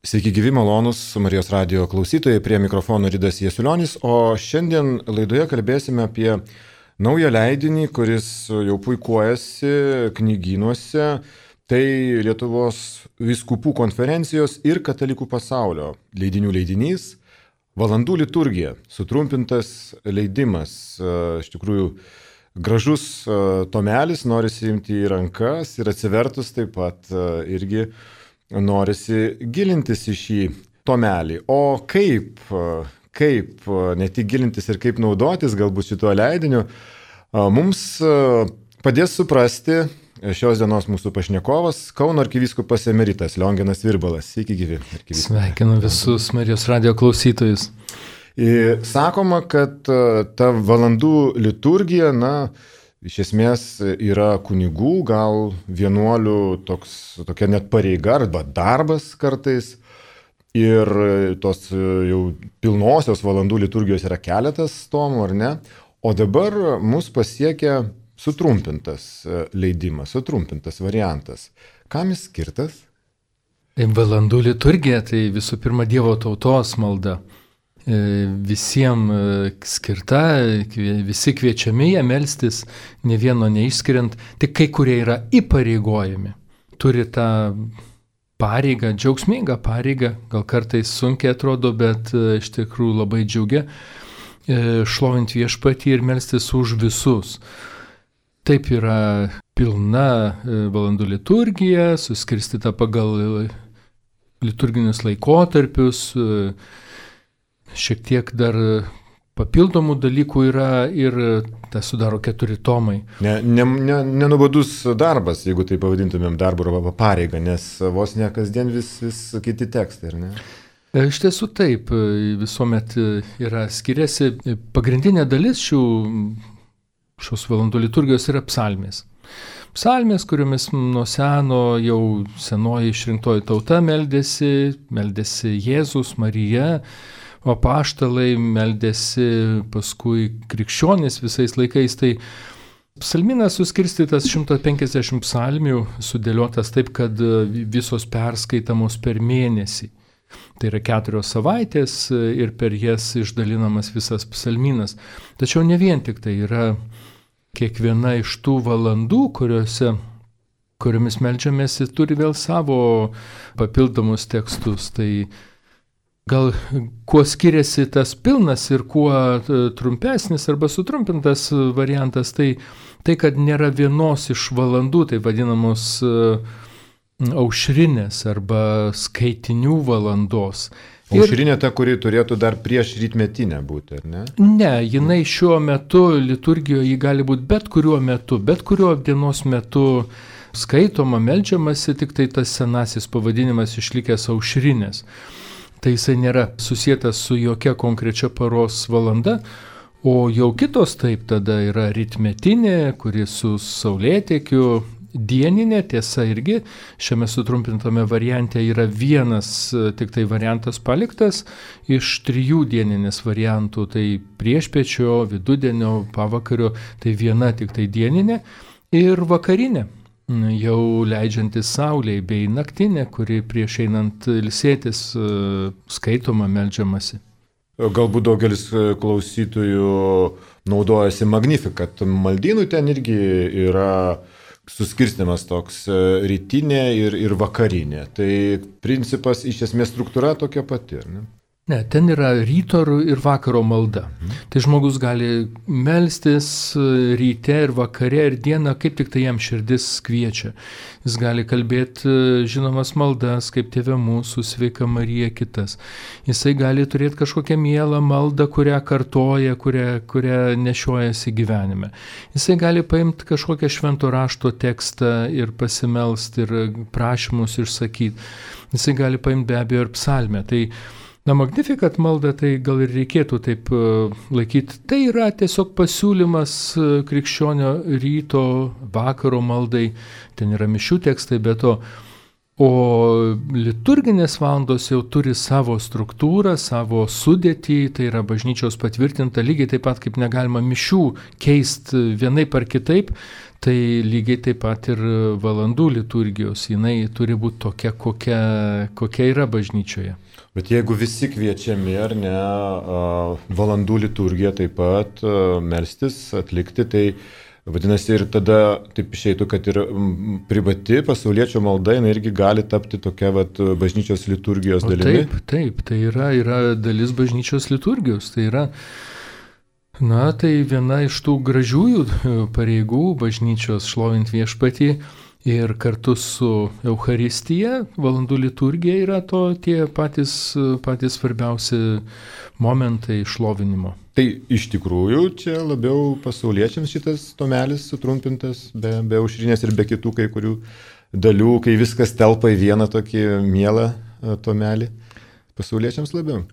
Sveiki gyvi malonus Marijos radijo klausytojai, prie mikrofono Ridas Jasiulionis, o šiandien laidoje kalbėsime apie naują leidinį, kuris jau puikuojasi knygynuose. Tai Lietuvos vyskupų konferencijos ir katalikų pasaulio leidinių leidinys Valandų liturgija, sutrumpintas leidimas. Iš tikrųjų gražus tomelis, norisi imti į rankas ir atsivertus taip pat irgi norisi gilintis į šį tomelį. O kaip ne tik gilintis ir kaip naudotis galbūt šituo leidiniu, mums padės suprasti šios dienos mūsų pašnekovas, Kauno arkivyskupas emeritas Lionginas Virbalas. Sveiki gyvi. Sveikinu visus Marijos radijo klausytojus. Sakoma, kad ta valandų liturgija, iš esmės yra kunigų, gal vienuolių tokia net pareiga arba darbas kartais. Ir tos jau pilnosios valandų liturgijos yra keletas tomų, ar ne? O dabar mus pasiekia sutrumpintas leidimas, sutrumpintas variantas. Kam jis skirtas? Valandų liturgija tai visų pirma Dievo tautos malda. Visiems skirta, visi kviečiami ją melstis, ne vieno neišskiriant, tik kai kurie yra įpareigojami. Turi tą pareigą, džiaugsmingą pareigą, gal kartais sunkiai atrodo, bet iš tikrųjų labai džiaugia, šlovint viešpatį ir melstis už visus. Taip yra pilna valandų liturgija, suskirstyta pagal liturginius laikotarpius, šiek tiek dar papildomų dalykų yra ir tai sudaro 4 tomai. Nenubodus darbas, jeigu tai pavadintumėm darbu arba pareigą, nes vos ne kasdien vis kiti tekstai, ar ne? Iš tiesų taip, visuomet yra skiriasi. Pagrindinė dalis šios valandų liturgijos yra psalmės. Psalmės, kuriomis nuo seno jau senoji išrinktoji tauta meldėsi Jėzus, Marija, o apaštalai meldėsi paskui krikščionys visais laikais. Tai psalminas suskirstytas 150 psalmių, sudėliotas taip, kad visos perskaitamos per mėnesį. Tai yra 4 savaitės ir per jas išdalinamas visas psalminas. Tačiau ne vien tik tai yra kiekviena iš tų valandų, kuriomis meldžiamės, turi vėl savo papildomus tekstus. Tai gal kuo skiriasi tas pilnas ir kuo trumpesnis arba sutrumpintas variantas, tai kad nėra vienos iš valandų, tai vadinamos aušrinės arba skaitinių valandos. Aušrinė ta, kuri turėtų dar prieš rytmetinę būti, ar ne? Ne, jinai šiuo metu liturgijoje ji gali būti bet kuriuo dienos metu skaitoma, meldžiamasi, tik tai tas senasis pavadinimas išlikęs aušrinės. Tai jisai nėra susietas su jokia konkrečia paros valanda, o jau kitos taip tada yra rytmetinė, kuri su saulėtekiu, dieninė, tiesa irgi šiame sutrumpintame variante yra vienas tik tai variantas paliktas iš 3 dieninės variantų, tai priešpiečio, vidudienio, pavakario, tai viena tik tai dieninė ir vakarinė, jau leidžiantis saulei, bei naktinė, kuri prieš einant ilsėtis skaitoma, meldžiamasi. Galbūt daugelis klausytojų naudojasi Magnificat maldynu, ten irgi yra suskirstimas toks rytinė ir vakarinė. Tai principas, iš esmės struktūra tokia pati, ne? Ne, ten yra ryto ir vakaro malda. Tai žmogus gali melstis ryte ir vakare ir dieną, kaip tik tai jam širdis kviečia. Jis gali kalbėti žinomas maldas, kaip Tėve mūsų, Sveika Marija, kitas. Jisai gali turėti kažkokią mielą maldą, kurią kartoja, kurią nešiojasi gyvenime. Jisai gali paimti kažkokią švento rašto tekstą ir pasimelsti ir prašymus išsakyti. Jisai gali paimti be abejo ir psalmę. Tai Magnificat malda, tai gal ir reikėtų taip laikyti. Tai yra tiesiog pasiūlymas krikščionio ryto, vakaro maldai. Ten yra mišių tekstai, bet to O liturginės valandos jau turi savo struktūrą, savo sudėtį, tai yra bažnyčios patvirtinta, lygiai taip pat kaip negalima mišių keisti vienaip ar kitaip, tai lygiai taip pat ir valandų liturgijos, jinai turi būti tokia, kokia yra bažnyčioje. Bet jeigu visi kviečiami ar ne, valandų liturgiją taip pat melstis, atlikti, tai vadinasi ir tada taip išeitų, kad ir privati pasauliečio malda jinai irgi gali tapti tokia bažnyčios liturgijos dalimi. Taip, tai yra dalis bažnyčios liturgijos, tai yra, tai viena iš tų gražiųjų pareigų bažnyčios šlovint viešpatį. Ir kartu su Eucharistija, valandų liturgija yra tie patys svarbiausi momentai šlovinimo. Tai iš tikrųjų čia labiau pasauliečiams šitas tomelis sutrumpintas, be aušrinės ir be kitų kai kurių dalių, kai viskas telpa į vieną tokį mielą tomelį, pasauliečiams labiau.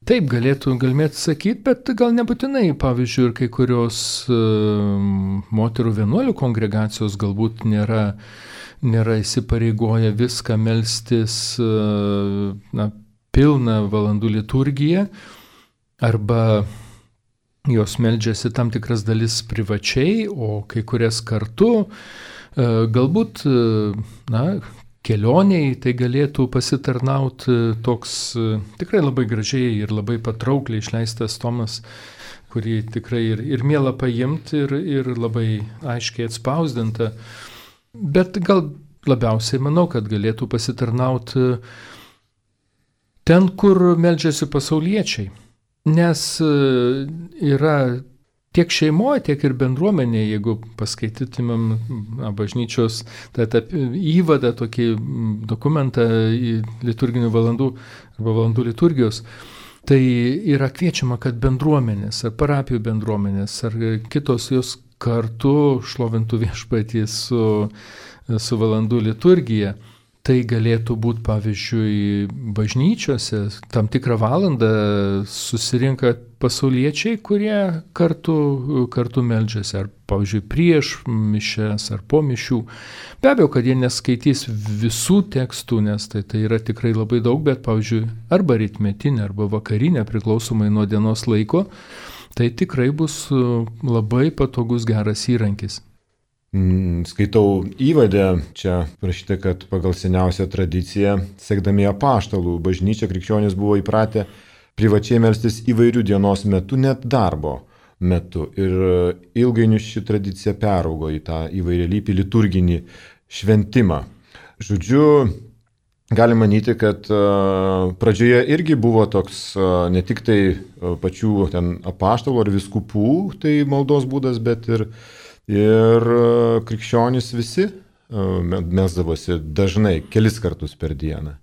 Taip, galėtumėt sakyti, bet gal nebūtinai, pavyzdžiui, ir kai kurios moterų vienuolių kongregacijos galbūt nėra įsipareigoję viską melstis pilną valandų liturgiją, arba jos meldžiasi tam tikras dalis privačiai, o kai kurias kartu, galbūt, kelioniai tai galėtų pasitarnauti toks tikrai labai gražiai ir labai patraukliai išleistas tomas, kurį tikrai ir miela paimti ir labai aiškiai atspausdinta. Bet gal labiausiai manau, kad galėtų pasitarnauti ten, kur meldžiasi pasauliečiai. Nes yra tiek šeimoje, tiek ir bendruomenėje, jeigu paskaitytumėm bažnyčios įvadą, tokį dokumentą į liturginių valandų arba valandų liturgijos, tai yra kviečiama, kad bendruomenės, ar parapijų bendruomenės, ar kitos jos kartu šlovintų viešpatį su valandų liturgija. Tai galėtų būti, pavyzdžiui, bažnyčiose tam tikrą valandą susirinka pasauliečiai, kurie kartu meldžiasi, ar, pavyzdžiui, prieš mišias ar po mišių. Be abejo, kad jie neskaitys visų tekstų, nes tai yra tikrai labai daug, bet, pavyzdžiui, arba rytmetinė, arba vakarinė, priklausomai nuo dienos laiko, tai tikrai bus labai patogus geras įrankis. Skaitau įvadę, čia parašyta, kad pagal seniausią tradiciją, sekdami apaštalų bažnyčia, krikščionys buvo įpratę privačiai melstis įvairių dienos metu, net darbo metu. Ir ilgainiui ši tradicija peraugo į tą įvairialypį liturginį šventimą. Žodžiu, galima manyti, kad pradžioje irgi buvo toks ne tik tai pačių ten apaštalų ar vyskupų tai maldos būdas, bet ir krikščionys visi melsdavosi dažnai, kelis kartus per dieną.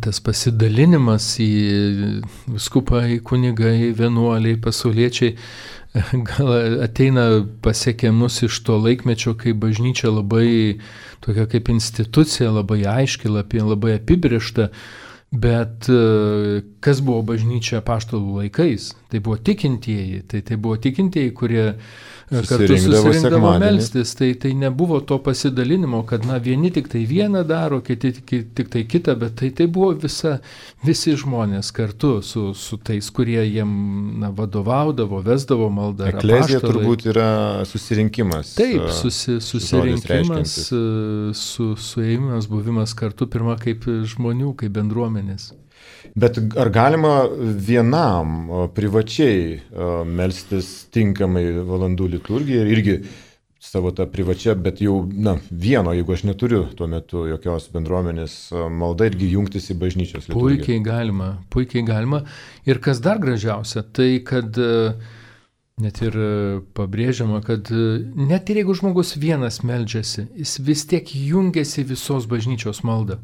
Tas pasidalinimas į vyskupai, kunigai, vienuoliai, pasauliečiai gal ateina pasiekia mus iš to laikmečio, kai bažnyčia labai tokia kaip institucija, labai aiški, labai apibrėžta. Bet kas buvo bažnyčia apaštalų laikais? Tai buvo tikintieji, tai buvo tikintieji, kurie kartu susirinkdavo melstis. Tai nebuvo to pasidalinimo, kad vieni tik tai vieną daro, kiti tik tai kitą, bet tai buvo visi žmonės kartu su tais, kurie jiem vadovaudavo, vesdavo maldą. Eklezija turbūt yra susirinkimas. Taip, susirinkimas, suėjimas, buvimas kartu, pirma kaip žmonių, kaip bendruomenės. Bet ar galima vienam privačiai melstis tinkamai valandų liturgiją ir irgi savo tą privačią, bet jau vieno, jeigu aš neturiu tuo metu jokios bendruomenės malda, irgi jungtis į bažnyčios liturgiją? Puikiai galima. Ir kas dar gražiausia, tai kad net ir pabrėžiama, kad net ir jeigu žmogus vienas meldžiasi, jis vis tiek jungiasi visos bažnyčios maldą.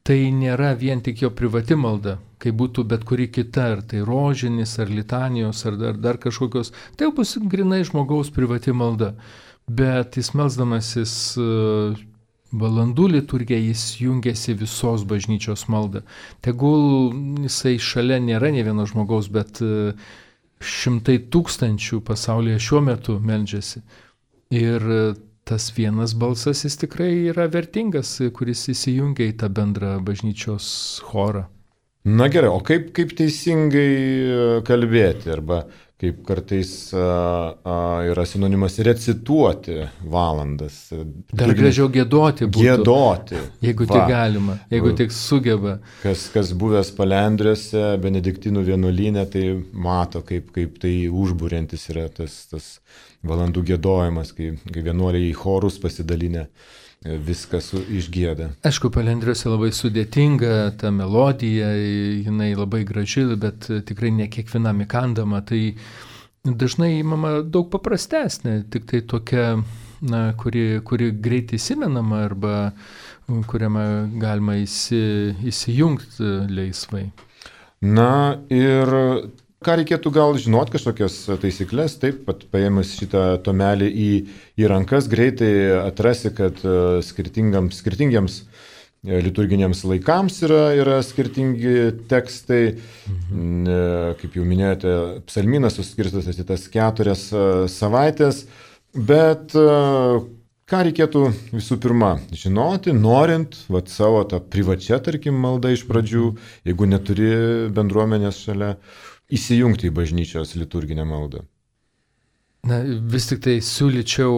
Tai nėra vien tik jo privati malda, kai būtų bet kuri kita, ar tai rožinis, ar litanijos, ar dar kažkokios. Tai bus grinai žmogaus privati malda. Bet jis melsdamasis valandų liturgiją, jis jungiasi visos bažnyčios maldą. Tegul jisai šalia nėra ne vieno žmogaus, bet šimtai tūkstančių pasaulyje šiuo metu meldžiasi. Ir tas vienas balsas jis tikrai yra vertingas, kuris įsijungia į tą bendrą bažnyčios chorą. Na gerai, o kaip teisingai kalbėti, arba kaip kartais yra sinonimas recituoti valandas. Dar gražiau giedoti būtų. Giedoti. Jeigu tik galima, jeigu tik sugeba. Kas buvęs Palendriuose, Benediktinų vienuolyne, tai mato, kaip tai užburiantis yra tas valandų giedojimas, kai vienuoliai į chorus pasidalinę viskas išgieda. Aišku, Palendriuose labai sudėtinga, ta melodija, jinai labai graži, bet tikrai ne kiekvienam įkandama, tai dažnai įmama daug paprastesnė, tik tai tokia, kuri greit įsimenama arba kuriame galima įsijungti laisvai. Na ir ką reikėtų gal žinoti, kažkokias taisyklės, taip, pat paėmus šitą tomelį į rankas, greitai atrasi, kad skirtingiems liturginiams laikams yra skirtingi tekstai. Kaip jau minėjote, psalmynas suskirstytas į tas 4 savaitės, bet ką reikėtų visų pirma žinoti, norint savo tą privačią, tarkim, maldą iš pradžių, jeigu neturi bendruomenės šalia, įsijungti į bažnyčios liturginę maldą? Na, vis tik tai siūlyčiau,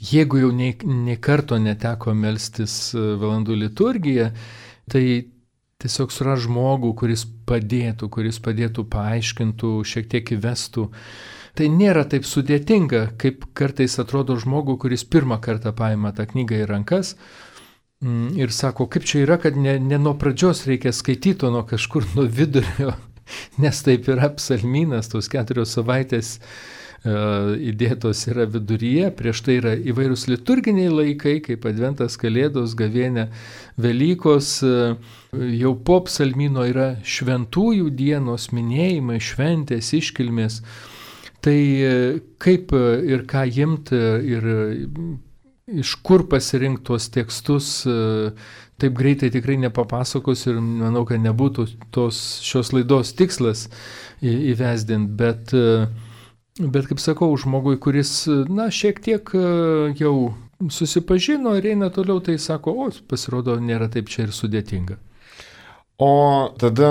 jeigu jau nei karto neteko melstis valandų liturgiją, tai tiesiog suras žmogų, kuris padėtų, paaiškintų, šiek tiek įvestų. Tai nėra taip sudėtinga, kaip kartais atrodo žmogų, kuris pirmą kartą paima tą knygą į rankas ir sako, kaip čia yra, kad ne nuo pradžios reikia skaityti, o nuo kažkur nuo vidurio. Nes taip yra psalmynas, tos 4 savaitės įdėtos yra viduryje, prieš tai yra įvairūs liturginiai laikai, kaip Adventas, Kalėdos, Gavėnia, Velykos, jau po psalmyno yra šventųjų dienos minėjimai, šventės, iškilmės. Tai kaip ir ką imti ir iš kur pasirinkti tuos tekstus, taip greitai tikrai nepapasakos ir manau, kad nebūtų šios laidos tikslas įvesdinti, bet kaip sakau, žmogui, kuris, šiek tiek jau susipažino ir eina toliau, tai sako, pasirodo, nėra taip čia ir sudėtinga. O tada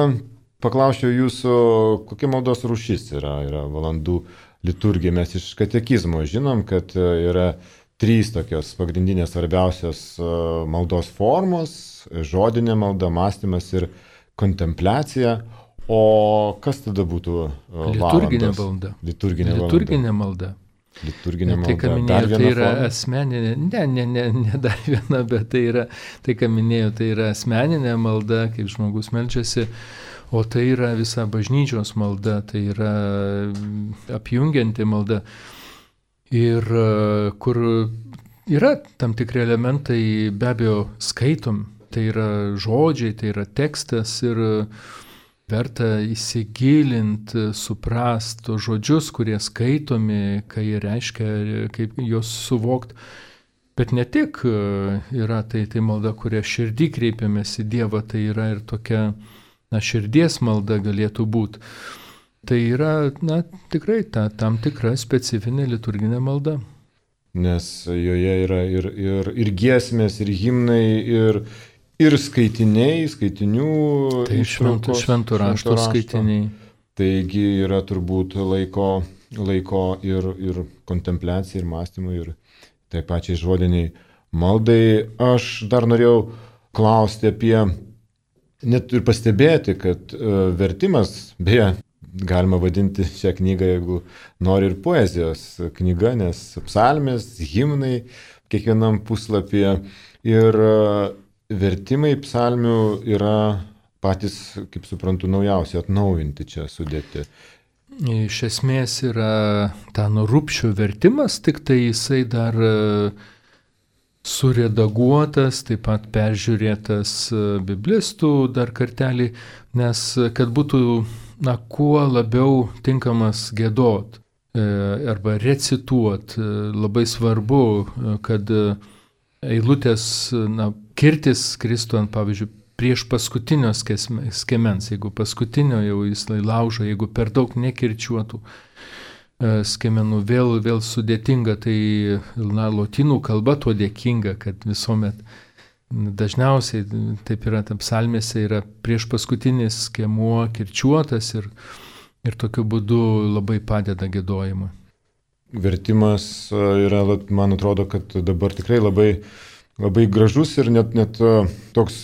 paklausčiau jūsų, kokia maldos rūšis yra valandų liturgija. Mes iš katekizmo žinom, kad yra 3 tokios pagrindinės svarbiausios maldos formos - žodinė malda, mąstymas ir kontempliacija. O kas tada būtų valandos? Liturginė malda. Tai, ką minėjau, tai yra asmeninė, ne dar viena, bet tai, ką minėjau, tai yra asmeninė malda, kaip žmogus meldžiasi, o tai yra visa bažnyčios malda, tai yra apjungianti malda. Ir kur yra tam tikri elementai, be abejo, skaitom, tai yra žodžiai, tai yra tekstas ir verta įsigilinti, suprasti tos žodžius, kurie skaitomi, ką jie reiškia, kaip juos suvokti. Bet ne tik yra tai malda, kuria širdį kreipiamės į Dievą, tai yra ir tokia širdies malda galėtų būti. Tai yra, tikrai tam tikra specifinė liturginė malda. Nes joje yra ir giesmės, ir himnai, ir skaitinių. Tai švento rašto skaitiniai. Taigi yra turbūt laiko ir kontempliacijai, ir mąstymui, ir taip pačiai žodiniai maldai. Aš dar norėjau klausti apie, net ir pastebėti, kad vertimas, beje, galima vadinti šią knygą, jeigu nori, ir poezijos knyga, nes psalmės, himnai kiekvienam puslapyje ir vertimai psalmių yra patys, kaip suprantu, naujausi, atnaujinti čia sudėti. Iš esmės yra Tano Rubšio vertimas, tik tai jisai dar suredaguotas, taip pat peržiūrėtas biblistų dar kartelį, nes kad būtų kuo labiau tinkamas giedot arba recituot, labai svarbu, kad eilutės kirtis kristų ant, pavyzdžiui, prieš paskutinio skemens, jeigu paskutinio jau jis laužo, jeigu per daug nekirčiuotų. skiemenų vėl sudėtinga, tai lotynų kalba tuo dėkinga, kad visuomet dažniausiai taip yra, psalmėse yra prieš paskutinis skiemuo kirčiuotas ir tokiu būdu labai padeda giedojimui. Vertimas yra, man atrodo, kad dabar tikrai labai gražus ir net toks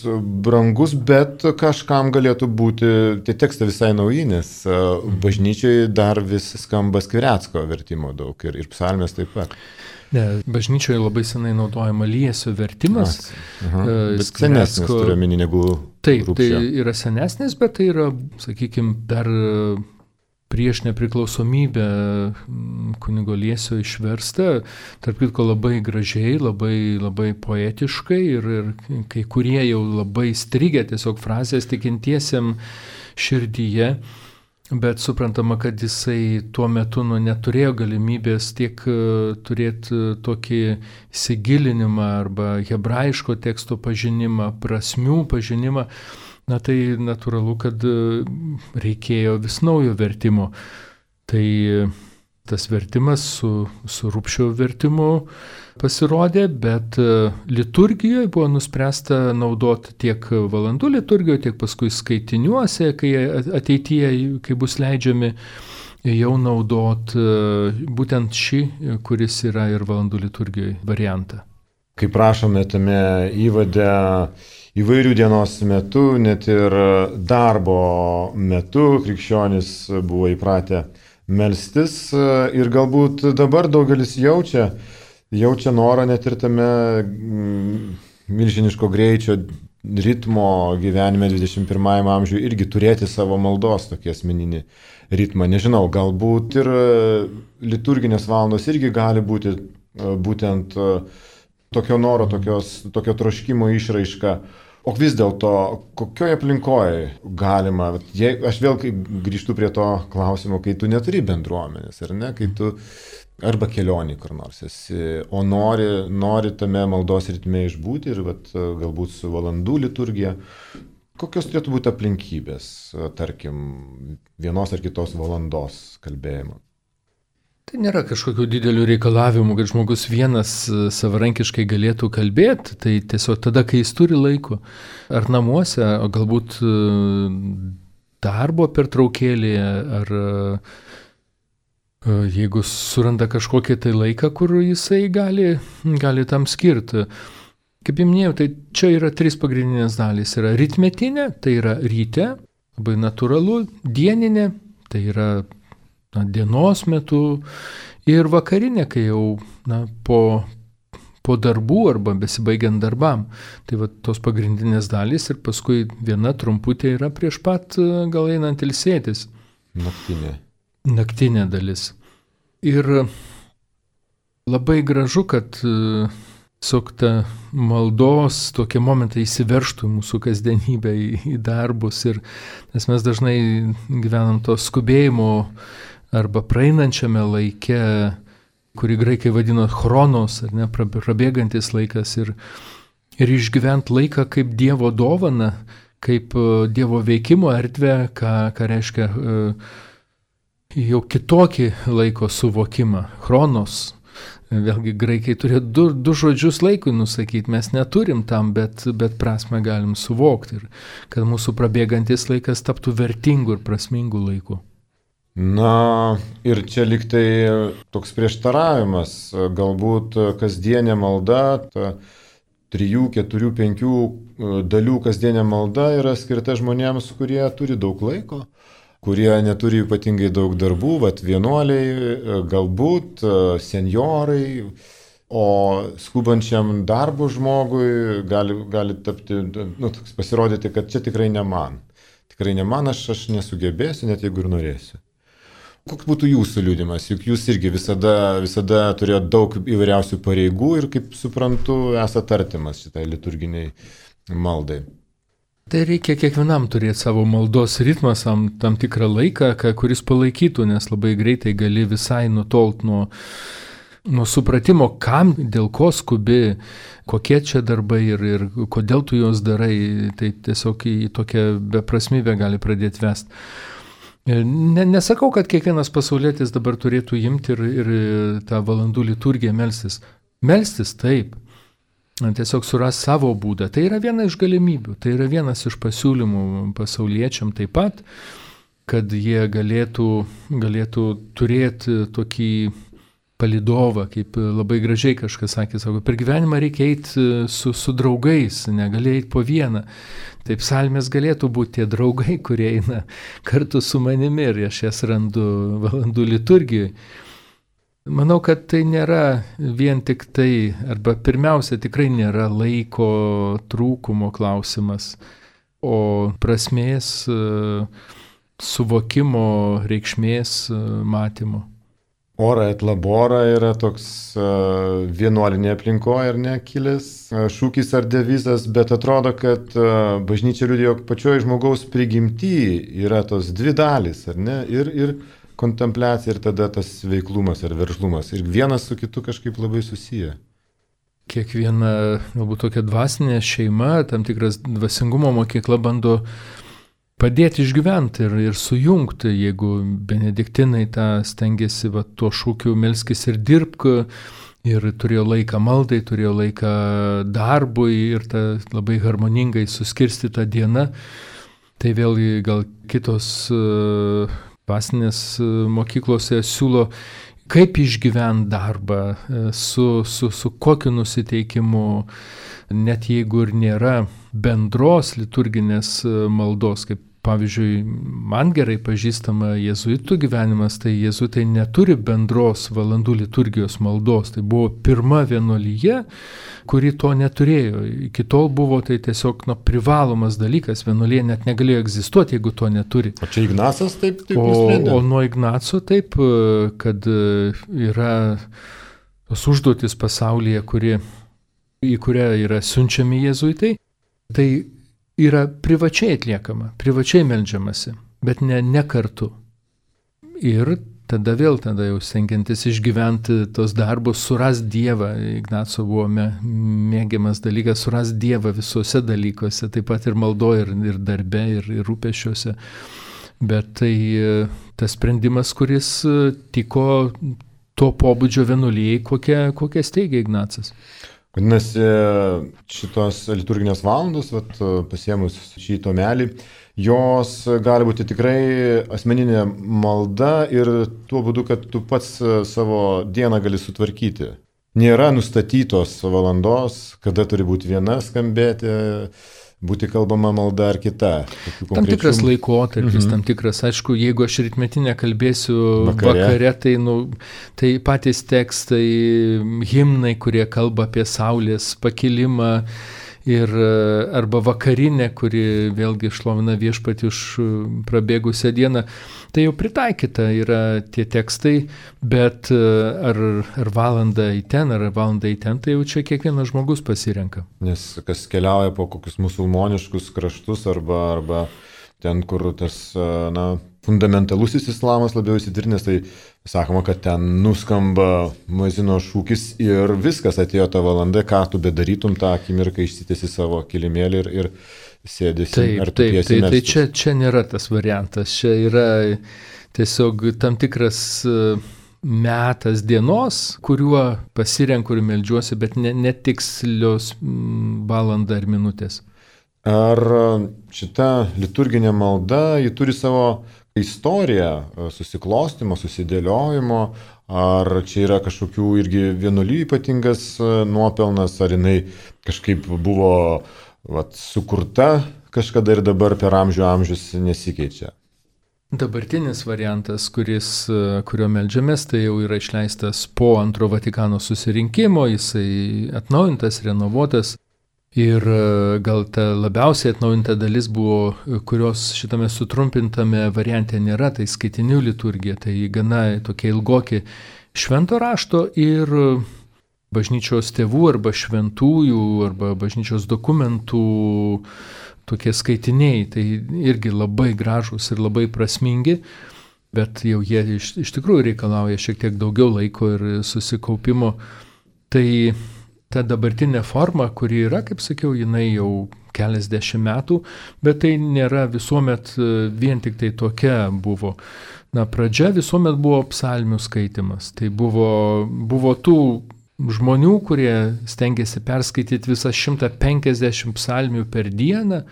brangus, bet kažkam galėtų būti, tie tekstai visai nauji, nes bažnyčiai dar vis skamba Skvirecko vertimo daug ir psalmės taip pat. Ne, bažnyčioje labai senai naudojama Liesio vertimas. Bet senesnis turiu omeny negu Taip, Rupšio. Tai yra senesnis, bet tai yra, sakykime, dar prieš nepriklausomybę kunigo Liesio išversta, tarp kitko labai gražiai, labai poetiškai ir kai kurie jau labai strigę tiesiog frazės tikintiesiam širdyje, bet suprantama, kad jisai tuo metu neturėjo galimybės tiek turėti tokį įsigilinimą arba hebrajiško teksto pažinimą, prasmių pažinimą. Tai natūralu, kad reikėjo vis naujo vertimo. Tai tas vertimas su Rupšio vertimu pasirodė, bet liturgijoje buvo nuspręsta naudoti tiek valandų liturgijoje, tiek paskui skaitiniuose, kai ateityje, kai bus leidžiami, jau naudoti būtent šį, kuris yra ir valandų liturgijoje variantą. Kaip prašome tame įvade, įvairių dienos metu, net ir darbo metu krikščionys buvo įpratę melstis ir galbūt dabar daugelis jaučia norą net ir tame milžiniško greičio ritmo gyvenime 21 amžiuje irgi turėti savo maldos tokį asmeninį ritmą. Nežinau, galbūt ir liturginės valandos irgi gali būti būtent tokio noro, tokio troškimo išraiška. O vis dėlto, kokioje aplinkoje galima, aš vėl grįžtu prie to klausimo, kai tu neturi bendruomenės, ar ne, kai tu arba kelionį kur nors esi, o nori tame maldos ritme išbūti ir galbūt su valandų liturgija. Kokios turėtų būti aplinkybės, tarkim, vienos ar kitos valandos kalbėjimo? Tai nėra kažkokių didelių reikalavimų, kad žmogus vienas savarankiškai galėtų kalbėti, tai tiesiog tada, kai jis turi laiko, ar namuose, o galbūt darbo pertraukėlėje, ar jeigu suranda kažkokį tai laiką, kur jisai gali tam skirti. Kaip jau minėjau, tai čia yra 3 pagrindinės dalys. Yra rytmetinė, tai yra ryte, labai natūralu, dieninė, tai yra dienos metu ir vakarinė, kai jau po darbų arba besibaigiant darbam. Tai tos pagrindinės dalys ir paskui viena trumputė yra prieš pat gal einant ilsėtis. Naktinė dalis. Ir labai gražu, kad ta maldos tokie momentai įsiveržtų į mūsų kasdienybę, į darbus. Nes mes dažnai gyvenam to skubėjimo arba praeinančiame laike, kurį graikai vadino chronos, ar ne, prabėgantis laikas, ir išgyvent laiką kaip Dievo dovaną, kaip Dievo veikimo erdvę, ką reiškia jau kitokį laiko suvokimą. Chronos. Vėlgi graikai turėjo du žodžius laikui nusakyti, mes neturim tam, bet prasme galim suvokti, ir kad mūsų prabėgantis laikas taptų vertingu ir prasmingu laiku. Ir čia lyg tai toks prieštaravimas, galbūt kasdienė malda, ta 3, 4, 5 dalių kasdienė malda yra skirta žmonėms, kurie turi daug laiko, kurie neturi ypatingai daug darbų, vienuoliai, galbūt senjorai, o skubančiam darbo žmogui gali tapti, pasirodyti, kad čia tikrai ne man. Tikrai ne man, aš nesugebėsiu, net jeigu ir norėsiu. Koks būtų jūsų liudimas? Juk jūs irgi visada turėjote daug įvairiausių pareigų ir, kaip suprantu, esate artimas šitai liturginiai maldai. Tai reikia kiekvienam turėti savo maldos ritmą, tam tikrą laiką, kuris palaikytų, nes labai greitai gali visai nutolt nuo supratimo, kam, dėl ko skubi, kokie čia darbai ir kodėl tu juos darai, tai tiesiog į tokią beprasmybę gali pradėti vesti. Nesakau, kad kiekvienas pasaulietis dabar turėtų imti ir tą valandų liturgiją melstis. Melstis taip. Tiesiog suras savo būdą. Tai yra viena iš galimybių, tai yra vienas iš pasiūlymų pasauliečiam taip pat, kad jie galėtų turėti tokį palydovą, kaip labai gražiai kažkas sakė, sako, per gyvenimą reikia eiti su draugais, negali eiti po vieną. Taip psalmės galėtų būti tie draugai, kurie eina kartu su manimi ir aš jas randu valandų liturgijoje. Manau, kad tai nėra vien tik tai, arba pirmiausia tikrai nėra laiko trūkumo klausimas, o prasmės, suvokimo, reikšmės matymo. Ora et labora yra toks vienuolinė aplinkoje, ar ne, kilęs šūkis ar devizas, bet atrodo, kad bažnyčia liudijo pačioje žmogaus prigimty yra tos dvi dalys, ar ne, ir kontempliacija, ir tada tas veiklumas ar veržlumas, ir vienas su kitu kažkaip labai susiję. Kiekviena, galbūt tokia dvasinė šeima, tam tikras dvasingumo mokykla bando padėti išgyventi ir sujungti, jeigu benediktinai tą stengiasi tuo šūkiu melskis ir dirbk, ir turėjo laiką maldai, turėjo laiką darbui ir tą labai harmoningai suskirstytą dieną, tai vėlgi gal kitos dvasinės mokyklose siūlo, kaip išgyventi darbą, su kokiu nusiteikimu, net jeigu ir nėra bendros liturginės maldos, kaip pavyzdžiui, man gerai pažįstama jėzuitų gyvenimas, tai jėzuitai neturi bendros valandų liturgijos maldos. Tai buvo pirma vienuolyje, kuri to neturėjo. Iki tol buvo tai tiesiog privalomas dalykas, vienuolyje net negalėjo egzistuoti, jeigu to neturi. O čia Ignacas taip nusprendė? O nuo Ignaco taip, kad yra tos užduotis pasaulyje, į kurią yra siunčiami jėzuitai, tai yra privačiai atliekama, privačiai meldžiamasi, bet ne kartu. Ir tada jau stengiantis išgyventi tos darbus, suras Dievą. Ignaco buvo mėgiamas dalykas, suras Dievą visuose dalykuose, taip pat ir maldoje, ir darbe, ir rūpesčiuose. Bet tai tas sprendimas, kuris tiko to pobūdžio vienuolijai, kokią steigė Ignacas. Vadinasi, šitos liturginės valandos, pasiemus šį tomelį, jos gali būti tikrai asmeninė malda ir tuo būdu, kad tu pats savo dieną gali sutvarkyti. Nėra nustatytos valandos, kada turi būti viena skambėti, būti kalbama malda ar kita. Tam tikras laikotarpis, tam tikras, aišku, jeigu aš rytmetinę kalbėsiu vakare, tai patys tekstai, himnai, kurie kalba apie saulės pakilimą, arba vakarinė, kuri vėlgi šlovina viešpatį už prabėgusią dieną, tai jau pritaikyta yra tie tekstai, bet ar valandą į ten, tai jau čia kiekvienas žmogus pasirenka. Nes kas keliauja po kokius musulmoniškus kraštus arba ten, kur tas fundamentalusis islamas labiau įsitvirtinęs, tai sakoma, kad ten nuskamba muezino šūkis ir viskas, atėjo ta valanda, ką tu bedarytum tą akimirką, išsitiesi savo kilimėlį ir sėdėsi ar tu piesi melstis. Tai čia nėra tas variantas, čia yra tiesiog tam tikras metas dienos, kuriuo pasirenku ir meldžiuosi, bet netikslios valanda ar minutės. Ar šita liturginė malda, ji turi savo istoriją susiklostimo, susidėliojimo, ar čia yra kažkokių irgi vienuolijų ypatingas nuopelnas, ar jinai kažkaip buvo sukurta kažkada ir dabar per amžius nesikeičia? Dabartinis variantas, kurio meldžiamės, tai jau yra išleistas po Antro Vatikano susirinkimo, jisai atnaujintas, renovuotas. Ir gal ta labiausiai atnaujinta dalis buvo, kurios šitame sutrumpintame variante nėra, tai skaitinių liturgija, tai gana tokie ilgoki švento rašto ir bažnyčios tėvų arba šventųjų arba bažnyčios dokumentų tokie skaitiniai, tai irgi labai gražūs ir labai prasmingi, bet jau jie iš tikrųjų reikalauja šiek tiek daugiau laiko ir susikaupimo. Tai ta dabartinė forma, kuri yra, kaip sakiau, jinai jau keliasdešimt metų, bet tai nėra visuomet vien tik tai tokia buvo. Pradžia visuomet buvo psalmių skaitimas. Tai buvo tų žmonių, kurie stengiasi perskaityti visas 150 psalmių per dieną.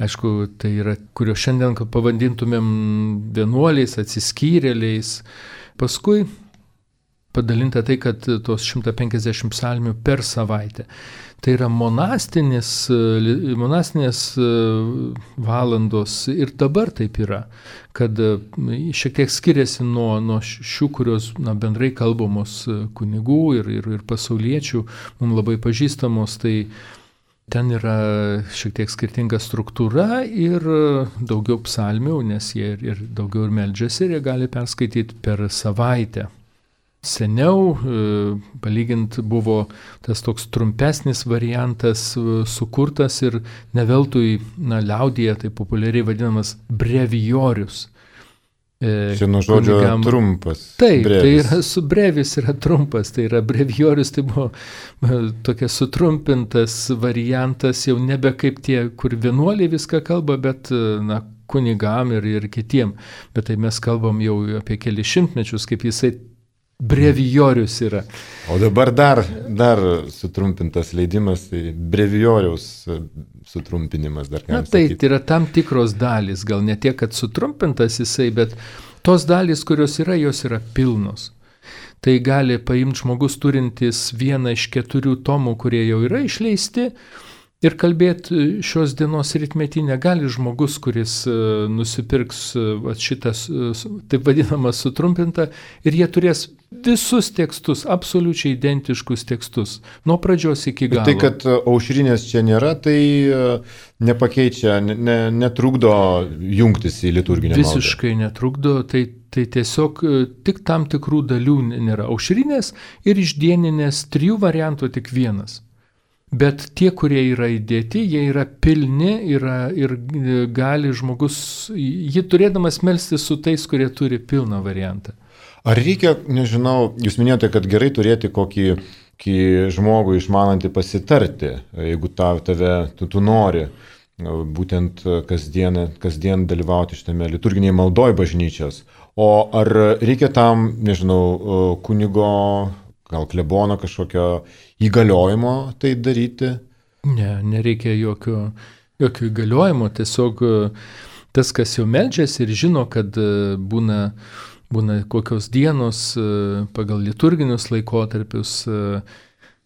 Aišku, tai yra, kurio šiandien pavadintumėm vienuoliais, atsiskyrėliais. Paskui padalinta tai, kad tos 150 psalmių per savaitę. Tai yra monastinės valandos ir dabar taip yra, kad šiek tiek skiriasi nuo šių, kurios bendrai kalbamos kunigų ir pasauliečių, mums labai pažįstamos, tai ten yra šiek tiek skirtinga struktūra ir daugiau psalmių, nes jie ir daugiau ir meldžiasi ir jie gali perskaityti per savaitę. Seniau, palygint, buvo tas toks trumpesnis variantas sukurtas ir ne veltui liaudyje tai populiariai vadinamas brevijorius. Čia nuo žodžio trumpas. Taip, brevis. Tai yra brevis yra trumpas, tai yra brevijorius, tai buvo tokia sutrumpintas variantas, jau nebe kaip tie, kur vienuoliai viską kalba, bet kunigam ir kitiem. Bet tai mes kalbam jau apie kelius šimtmečius, kaip jisai brevijorius yra. O dabar dar sutrumpintas leidimas, tai brevijoriaus sutrumpinimas dar galima sakyti. Tai yra tam tikros dalys, gal ne tiek, kad sutrumpintas jisai, bet tos dalys, kurios yra, jos yra pilnos. Tai gali paimti žmogus turintis vieną iš 4 tomų, kurie jau yra išleisti, ir kalbėti šios dienos rytmetinę gali žmogus, kuris nusipirks šitas, taip vadinamą, sutrumpintą, ir jie turės visus tekstus, absoliučiai identiškus tekstus, nuo pradžios iki galo. Tai, kad aušrinės čia nėra, tai nepakeičia, netrukdo jungtis į liturginę maldą. Visiškai netrukdo, tai tiesiog tik tam tikrų dalių nėra. Aušrinės ir išdieninės 3 variantų tik vienas. Bet tie, kurie yra įdėti, jie yra pilni ir gali žmogus, jį turėdamas melstis su tais, kurie turi pilną variantą. Ar reikia, nežinau, jūs minėjote, kad gerai turėti kokį žmogų išmanantį pasitarti, jeigu tu nori būtent kasdien dalyvauti šitame liturginėje maldoje bažnyčios. O ar reikia tam, nežinau, kunigo, gal klebono kažkokio įgaliojimo tai daryti? Ne, nereikia jokio įgaliojimo, tiesiog tas, kas jau meldžiasi ir žino, kad būna kokios dienos pagal liturginius laikotarpius.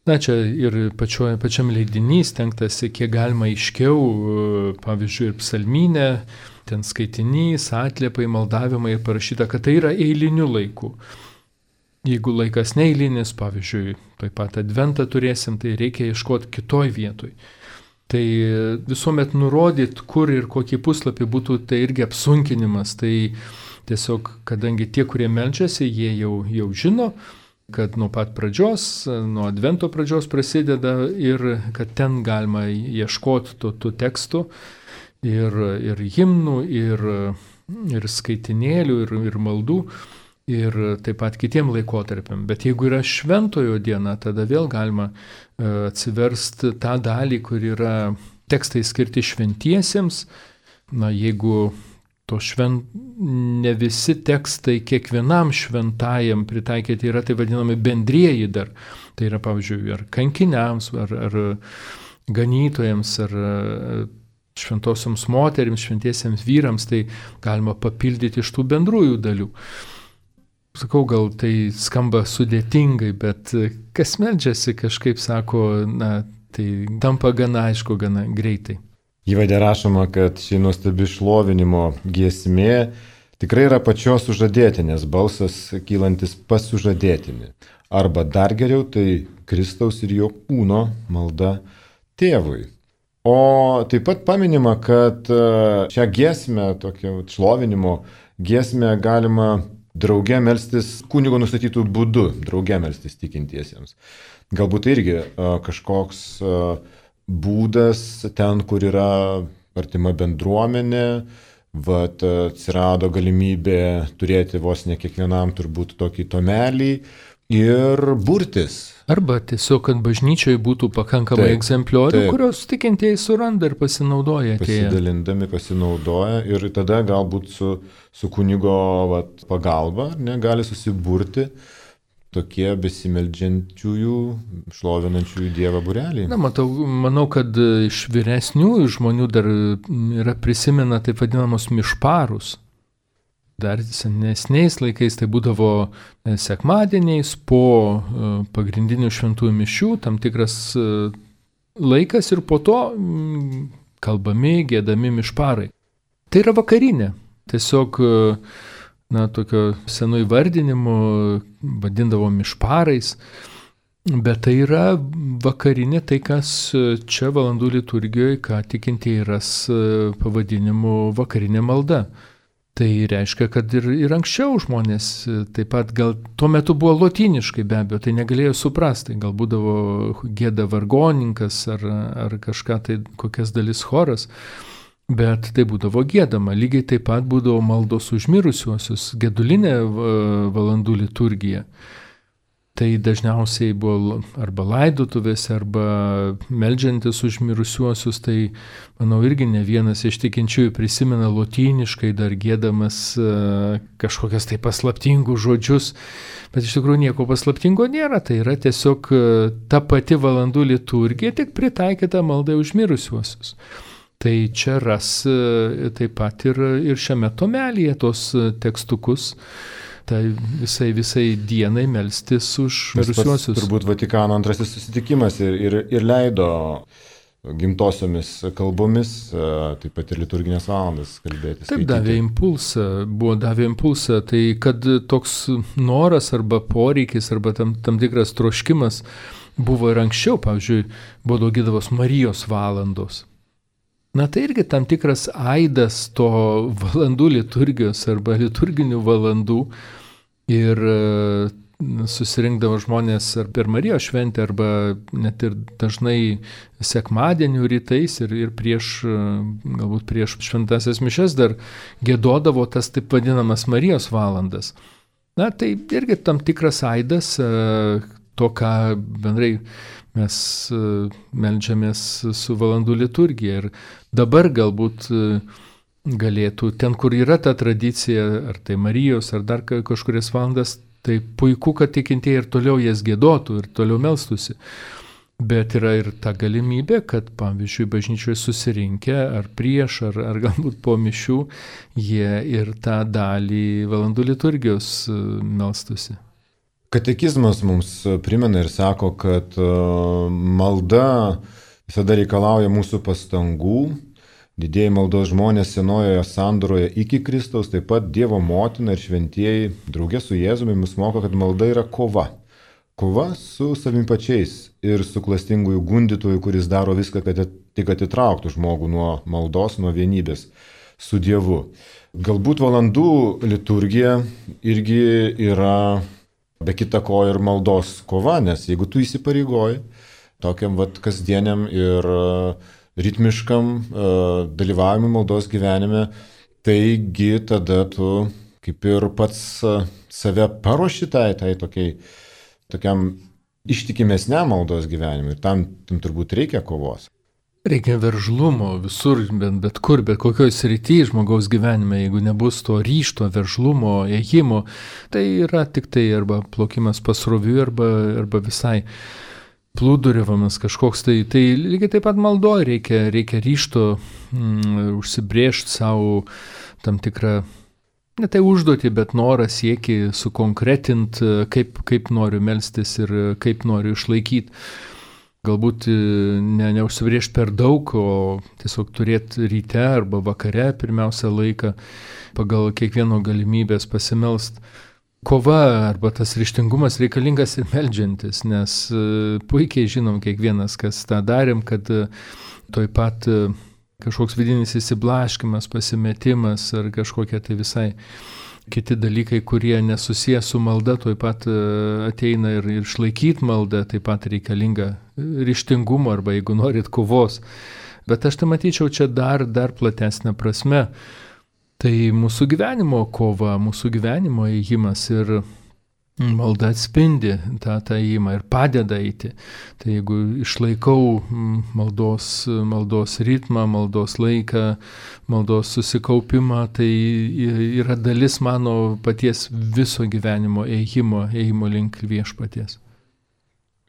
Čia ir pačiam leidinys stengtasi, kiek galima aiškiau, pavyzdžiui, ir psalmynė, ten skaitinys, atliepai, maldavimai parašyta, kad tai yra eiliniu laiku. Jeigu laikas neeilinis, pavyzdžiui, taip pat adventą turėsim, tai reikia ieškoti kitoj vietoj. Tai visuomet nurodyt, kur ir kokį puslapį būtų, tai irgi apsunkinimas. Tai tiesiog, kadangi tie, kurie meldžiasi, jie jau žino, kad nuo pat pradžios, nuo advento pradžios prasideda ir kad ten galima ieškoti tų tekstų ir himnų, ir skaitinėlių, ir maldų. Ir taip pat kitiem laikotarpiam. Bet jeigu yra šventojo diena, tada vėl galima atsiversti tą dalį, kur yra tekstai skirti šventiesiems. Jeigu ne visi tekstai kiekvienam šventajam pritaikyti yra, tai vadinami bendrieji dar. Tai yra, pavyzdžiui, ar kankiniams, ar ganytojams, ar šventosioms moterims, šventiesiems vyrams, tai galima papildyti iš tų bendrųjų dalių. Sakau, gal tai skamba sudėtingai, bet kas meldžiasi kažkaip sako, tai tampa gana aišku, gana greitai. Įvade rašoma, kad ši nuostabi šlovinimo giesmė tikrai yra pačios sužadėtinės balsas kylantis pas sužadėtinį. Arba dar geriau, tai Kristaus ir jo kūno malda tėvui. O taip pat paminima, kad šią giesmę, tokią šlovinimo giesmę galima drauge melstis kunigo nustatytų būdų, drauge melstis tikintiesiems. Galbūt irgi kažkoks būdas ten, kur yra artima bendruomenė, atsirado galimybė turėti vos ne kiekvienam turbūt tokį tomelį, ir burtis. Arba tiesiog, kad bažnyčioje būtų pakankamai egzempliorių, kurios tikintieji suranda ir pasinaudoja. Pasidalindami pasinaudoja ir tada galbūt su kunigo pagalba gali susiburti tokie besimeldžiančiųjų, šlovinančiųjų Dievą būreliai. Manau, kad iš vyresniųjų žmonių dar yra prisimena taip vadinamos mišparus. Dar senesniais laikais tai būdavo sekmadieniais po pagrindinių šventųjų mišių, tam tikras laikas ir po to kalbami, giedami mišparai. Tai yra vakarinė. Tiesiog, tokio senų įvardinimų vadindavo mišparais, bet tai yra vakarinė, tai kas čia valandų liturgijoje, ką tikintieji ras pavadinimu vakarinė malda. Tai reiškia, kad ir anksčiau žmonės taip pat gal tuo metu buvo lotyniškai be abejo, tai negalėjo suprasti, gal būdavo gėda vargonininkas ar kažką tai kokias dalis choras, bet tai būdavo gėdama. Lygiai taip pat būdavo maldos už mirusiuosius, gedulinė valandų liturgija. Tai dažniausiai buvo arba laidotuvėse, arba meldžiantis už mirusiuosius, tai manau irgi ne vienas iš tikinčiųjų prisimena lotyniškai dar gėdamas kažkokias tai paslaptingus žodžius, bet iš tikrųjų nieko paslaptingo nėra, tai yra tiesiog ta pati valandų liturgija, tik pritaikyta maldai už mirusiuosius. Tai čia ras taip pat ir šiame tomelyje tos tekstukus, tai visai dienai melstis už mirusiuosius. Turbūt Vatikano antrasis susitikimas ir leido gimtosiomis kalbomis, taip pat ir liturginės valandas kalbėti. Taip, davė impulsą, tai kad toks noras arba poreikis arba tam tikras troškimas buvo ir anksčiau, pavyzdžiui, buvo daugydavos Marijos valandos. Tai irgi tam tikras aidas to valandų liturgijos arba liturginių valandų ir susirinkdavo žmonės ar per Marijos šventę arba net ir dažnai sekmadienių rytais ir galbūt prieš šventasias mišias dar giedodavo tas taip vadinamas Marijos valandas. Tai irgi tam tikras aidas to, ką bendrai mes meldžiamės su valandų liturgija. Ir dabar galbūt galėtų, ten kur yra ta tradicija, ar tai Marijos, ar dar kažkurias valandas, tai puiku, kad tikintieji ir toliau jas giedotų ir toliau melstųsi. Bet yra ir ta galimybė, kad, pavyzdžiui, bažnyčioje susirinkę, ar prieš, ar galbūt po mišių, jie ir tą dalį valandų liturgijos melstųsi. Katekizmas mums primena ir sako, kad malda visada reikalauja mūsų pastangų. Didieji maldos žmonės senojoje sandoroje iki Kristaus, taip pat Dievo motina ir šventieji draugė su Jėzumi mus moko, kad malda yra kova. Kova su savimi pačiais ir su klastingųjų gundytojų, kuris daro viską, kad tik atitrauktų žmogų nuo maldos, nuo vienybės su Dievu. Galbūt valandų liturgija irgi yra be kita ko ir maldos kova, nes jeigu tu įsipareigoji tokiam kasdieniam ir ritmiškam dalyvavimui maldos gyvenime, taigi tada tu kaip ir pats save paruoši tokiam ištikimesniam maldos gyvenimui ir tam turbūt reikia kovos. Reikia veržlumo visur, bet kur, bet kokioj srityje žmogaus gyvenime, jeigu nebus to ryžto, veržlumo, ėjimo, tai yra tik tai arba plaukimas pasroviui, arba visai plūduriavimas kažkoks, tai lygiai taip pat maldoje reikia ryžto užsibrėžti savo tam tikrą, ne tai užduotį, bet norą siekį sukonkretinti, kaip noriu melstis ir kaip noriu išlaikyti. Galbūt neužsibrėžti per daug, o tiesiog turėti ryte arba vakare pirmiausia laiką pagal kiekvieno galimybės pasimelst. Kova arba tas ryžtingumas reikalingas ir meldžiantis, nes puikiai žinom kiekvienas, kas tą darėm, kad toj pat kažkoks vidinis įsiblaškimas, pasimetimas ar kažkokie tai visai kiti dalykai, kurie nesusiję su malda, toj pat ateina ir išlaikyti maldą, taip pat reikalinga ryžtingumo arba, jeigu norit, kovos. Bet aš tai matyčiau čia dar platesnę prasme. Tai mūsų gyvenimo kova, mūsų gyvenimo ėjimas ir Malda atspindi tą ėjimą ir padeda eiti. Tai jeigu išlaikau maldos ritmą, maldos laiką, maldos susikaupimą, tai yra dalis mano paties viso gyvenimo ėjimo link viešpaties.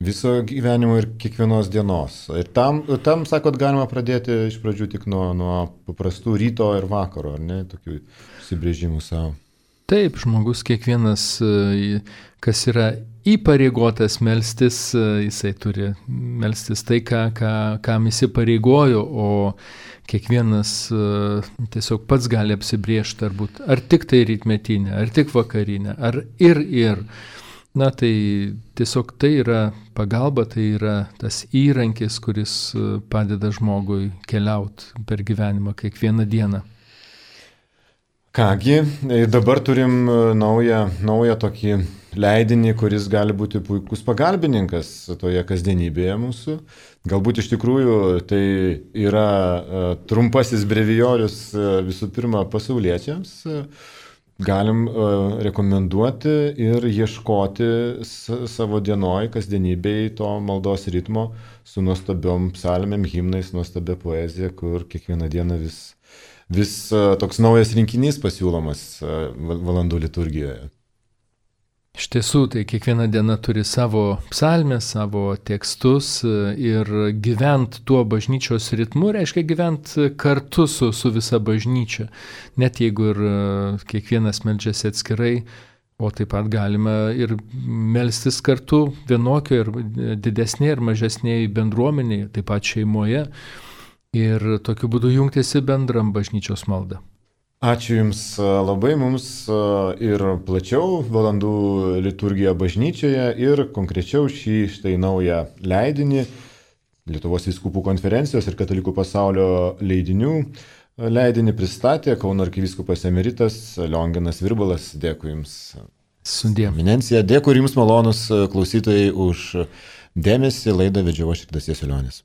Viso gyvenimo ir kiekvienos dienos. Ir tam sakot, galima pradėti iš pradžių tik nuo paprastų ryto ir vakaro, ar ne, tokių užsibrėžimų savo. Taip, žmogus kiekvienas, kas yra įpareigotas melstis, jisai turi melstis tai, kam įsipareigojo, o kiekvienas tiesiog pats gali apsibriežti, ar tik tai rytmetinė, ar tik vakarinė, ar ir. Na tai tiesiog tai yra pagalba, tai yra tas įrankis, kuris padeda žmogui keliauti per gyvenimą kiekvieną dieną. Kągi, dabar turim naują tokį leidinį, kuris gali būti puikus pagalbininkas toje kasdienybėje mūsų. Galbūt iš tikrųjų tai yra trumpasis brevijorius visų pirma pasauliečiams. Galim rekomenduoti ir ieškoti savo dienoj, kasdienybėj to maldos ritmo su nuostabiom psalmėm, himnais, nuostabia poezija, kur kiekvieną dieną vis toks naujas rinkinys pasiūlomas valandų liturgijoje. Iš tiesų, tai kiekviena diena turi savo psalmę, savo tekstus ir gyvent tuo bažnyčios ritmu reiškia gyvent kartu su visa bažnyčia. Net jeigu ir kiekvienas meldžiasi atskirai, o taip pat galima ir melstis kartu vienokio ir didesnėje ir mažesnėje bendruomenėje, taip pat šeimoje. Ir tokiu būdu jungtis į bendram bažnyčios maldą. Ačiū Jums labai, mums ir plačiau valandų liturgija bažnyčioje ir konkrečiau štai naują leidinį Lietuvos vyskupų konferencijos ir Katalikų pasaulio leidinių leidinį pristatė Kauno arkivyskupas emeritas Lionginas Virbalas. Dėkui Jums. Sudie. Eminencija, dėkui Jums malonus klausytojai už dėmesį. Laidą vedžiau aš Ridas Jasiulionis.